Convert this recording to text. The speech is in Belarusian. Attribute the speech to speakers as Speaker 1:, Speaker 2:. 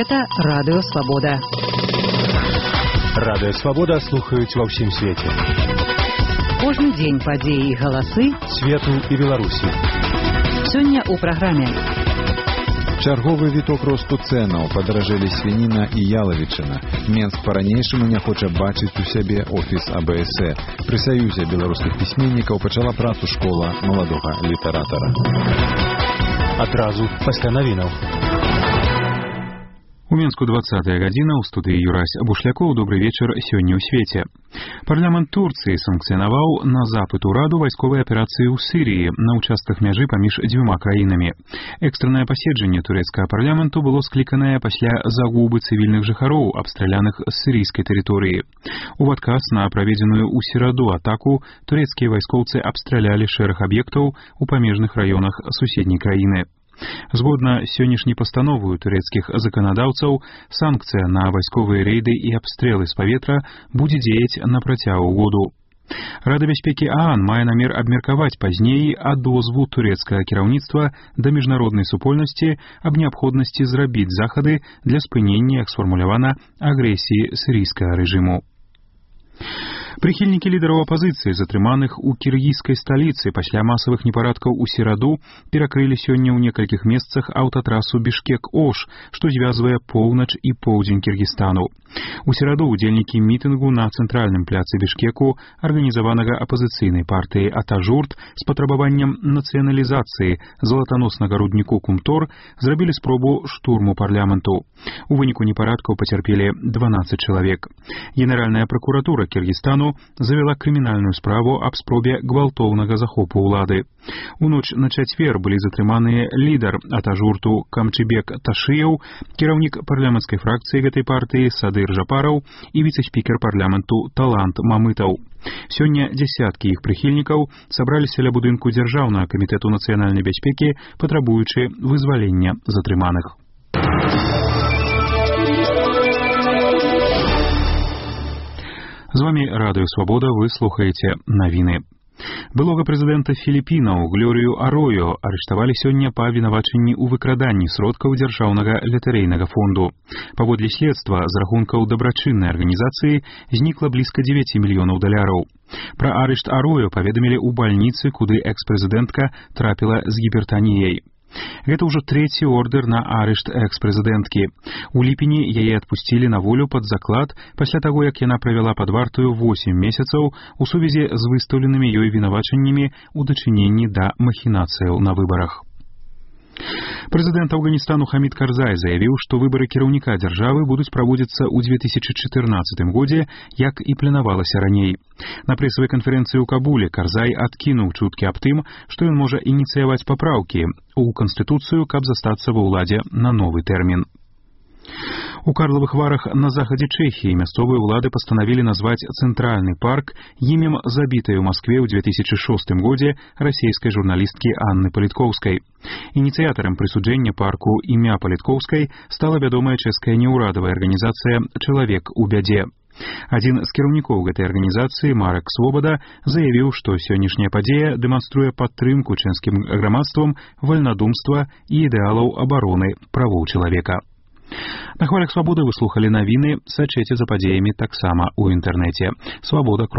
Speaker 1: Гэта Радыё Свабода.
Speaker 2: Радыё Свабода слухаюць ва ўсім свеце.
Speaker 1: Кожны дзень падзеі і галасы
Speaker 2: свету і Беларусі.
Speaker 1: Сёння ў праграме.
Speaker 3: Чарговы віток росту цэнаў, падаражэлі свініна і ялавічына. Менск па-ранейшаму не хоча бачыць у сябе офіс АБС. Пры Саюзе беларускіх пісьменнікаў пачала працу школа маладога літаратара.
Speaker 2: Адразу пасля навінаў.
Speaker 4: У Мінску 20-я гадзіна, у студыі Юрась Бушлякоў. Добрый вечар сёння ў свеце. Парламент Турцыі санкцыянаваў на запыт ураду вайсковай аперацыі ў Сірыі на ўчастках мяжы паміж дзвюма краінамі. Экстраннае паседжанне турэцкага парламенту было скліканае пасля загубы цывільных жыхароў, абстраляных з сірыйскай тэрыторыі. У адказ на праведзеную ў сераду атаку турэцкія вайскоўцы абстралялі шэраг аб'ектаў у памежных раёнах суседняй краіны. Згодна сённяшняй пастановы турэцкіх заканадаўцаў, санкцыя на вайсковыя рэйды і абстрэлы з паветра будзе дзеяць на працягу году. Рада бяспекі ААН мае намер абмеркаваць пазней адозву турэцкага кіраўніцтва да міжнароднай супольнасці аб неабходнасці зрабіць захады для спынення, як сфармулявана, агрэсіі сірыйскага рэжыму. Прыхільнікі лідараў апазіцыі, затрыманых у кіргізскай сталіцы пасля масавых непарадкаў у сераду, перакрылі сёння ў некалькіх месцах аўтатрасу Бішкек-Ош, што звязвае поўнач і поўдзень Кіргізстану. У сераду удзельнікі мітынгу на цэнтральным пляцы Бішкеку, арганізаванага апазіцыйнай партыяй Атажурт з патрабаваннем нацыяналізацыі залатаноснага рудніку Кумтор, зрабілі спробу штурму парламенту. У выніку непарадкаў пацярпелі 12 чалавек. Генеральная пракуратура Кіргізстану завяла крымінальную справу аб спробе гвалтоўнага захопу ўлады. У ноч на чацвер былі затрыманыя лідар Атажурту Камчыбек Ташыяў, кіраўнік парламенцкай фракцыі гэтай партыі Садыр Жапараў і віцэ-спікер парламенту Талант Мамытаў. Сёння дзясяткі іх прыхільнікаў сабраліся ля будынку Дзяржаўнага камітэту нацыянальнай бяспекі, патрабуючы вызвалення затрыманых. З вами Радыё Свабода, вы слухаеце навіны. Былога прэзідэнта Філіпінаў Глорію Аройо арыштавалі сёння па абвінавачанні ў выкраданні сродкаў дзяржаўнага латарэйнага фонду. Паводле следства, з рахункаў дабрачыннай арганізацыі знікла блізка 9 мільёнаў даляраў. Пра арышт Аройо паведамілі ў бальніцы, куды экс-прэзідэнтка трапіла з гіпертаніяй. Гэта ўжо трэці ордэр на арышт экс-прэзідэнткі. У ліпені яе адпусцілі на волю пад заклад пасля таго, як яна правяла пад вартаю 8 месяцаў у сувязі з выстаўленымі ёй вінавачаннямі ў дачыненні да махінацыяў на выбарах. Прэзідэнт Афганістану Хамід Карзай заявіў, што выбары кіраўніка дзяржавы будуць праводзіцца ў 2014 годзе, як і планавалася раней. На прэсавай канферэнцыі ў Кабуле Карзай адкінуў чуткі аб тым, што ён можа ініцыяваць папраўкі ў Канстытуцыю, каб застацца ва ўладзе на новы тэрмін. У Карлавых Варах на захадзе Чэхіі мясцовыя ўлады пастанавілі назваць цэнтральны парк імем забітай у Маскве ў 2006 годзе расійскай журналісткі Анны Паліткоўскай. Ініцыятарам прысуджэння парку імя Паліткоўскай стала вядомая чэшская неўрадавая арганізацыя «Чалавек у бядзе». Адзін з кіраўнікоў гэтай арганізацыі, Марек Свобода, заявіў, што сённяшняя падзея дэманструе падтрымку чэшскім грамадствам вальнадумства і ідэалаў абароны правоў чалавека. На хвалях Свабоды вы слухалі навіны, сачыце за падзеямі таксама ў інтэрнэце. Свабода.